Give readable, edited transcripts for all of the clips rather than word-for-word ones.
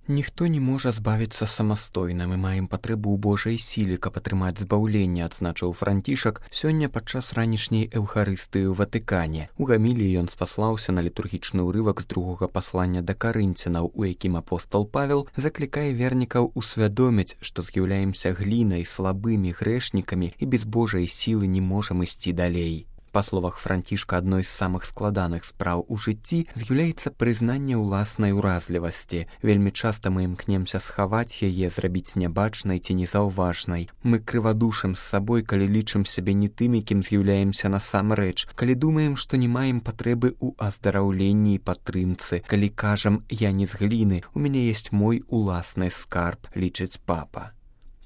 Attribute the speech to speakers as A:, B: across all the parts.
A: Ніхто не можа збавіцца самастойна, мы маем патрэбу ў Божай сіле, каб атрымаць збаўленне, адзначыў Францішак сёння падчас ранішняй эўхарыстыі ў Ватыкане. У гаміліі ён спаслаўся на літургічны ўрывак з другога паслання да карынцянаў, у якім апостол Павел заклікае вернікаў усвядоміць, што з'яўляемся глінай, слабымі грэшнікамі і без Божай сілы не можам ісці далей. Па словах Францішка, адной з самых складаных спраў у жыцці з'яўляецца прызнанне ўласнай уразлівасці. Вельмі часта мы імкнемся схаваць яе, зрабіць нябачнай ці незаўважнай. Мы крывадушым з сабой, калі лічым сябе не тымі, кім з'яўляемся насамрэч, калі думаем, што не маем патрэбы ў аздараўленні і падтрымцы, калі кажам «я не з гліны, у мяне ёсць мой уласны скарб», лічыць папа.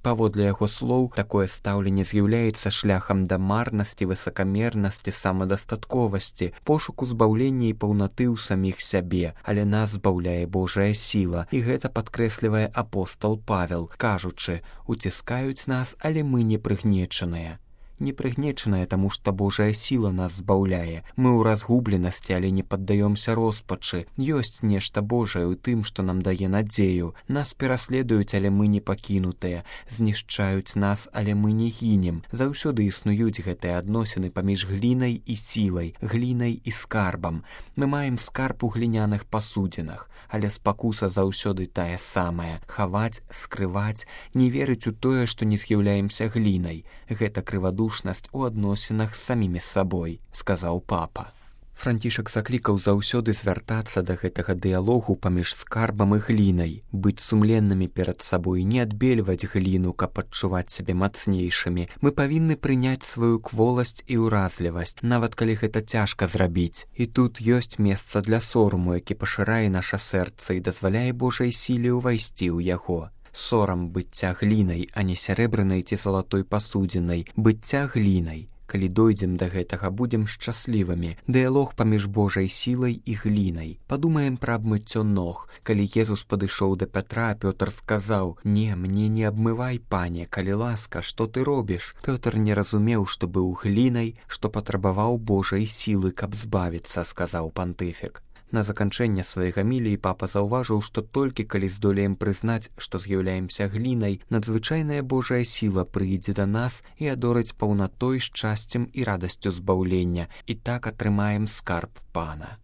A: Паводле яго слоў, такое стаўленне з'яўляецца шляхам да марнасці, высакамернасці, самадастатковасці, пошуку збаўлення і паўнаты ў саміх сябе, але нас збаўляе Божая сіла, і гэта падкрэслівае апостол Павел, кажучы, уціскаюць нас, але мы не прыгнечаныя. Не прыгнечаная, таму што Божая сіла нас збаўляе. Мы ў разгубленасці, але не паддаёмся роспачы. Ёсць нешта Божае ў тым, што нам дае надзею. Нас пераследуюць, але мы не пакінутыя. Знішчаюць нас, але мы не гінем. Заўсёды існуюць гэтыя адносіны паміж глінай і сілай, глінай і скарбам. Мы маем скарб у гліняных пасудзінах, але спакуса заўсёды тая самая. Хаваць, скрываць, не верыць у тое, што не з'яўляемся глінай. Гэта крывадушнасць у адносінах з самімі сабой, сказаў папа. Францішак заклікаў заўсёды звяртацца да гэтага дыялогу паміж скарбам і глінай, быць сумленнымі перад сабой, не адбельваць гліну, каб адчуваць сябе мацнейшымі. Мы павінны прыняць сваю кволасць і ўразлівасць, нават калі гэта цяжка зрабіць. І тут ёсць месца для сораму, які пашырае наша сэрца і дазваляе Божай сіле ўвайсці ў яго. Сорам быцця глінай, а не сярэбранай ці залатой пасудзінай, быцця глінай. Калі дойдзем да гэтага, будзем шчаслівымі. Дыялог паміж Божай сілай і глінай. Падумаем пра абмыццё ног. Калі Езус падышоў да Пятра, Пётр сказаў: «Не, мне не абмывай, пане, калі ласка, што ты робіш?» Пётр не разумеў, што быў глінай, што патрабаваў Божай сілы, каб збавіцца, сказаў пантыфік. На заканчэнне сваёй гаміліі папа заўважыў, што толькі калі здолеем прызнаць, што з'яўляемся глінай, надзвычайная Божая сіла прыйдзе да нас і адорыць паўнатой, шчасцем і радасцю збаўлення, і так атрымаем скарб Пана.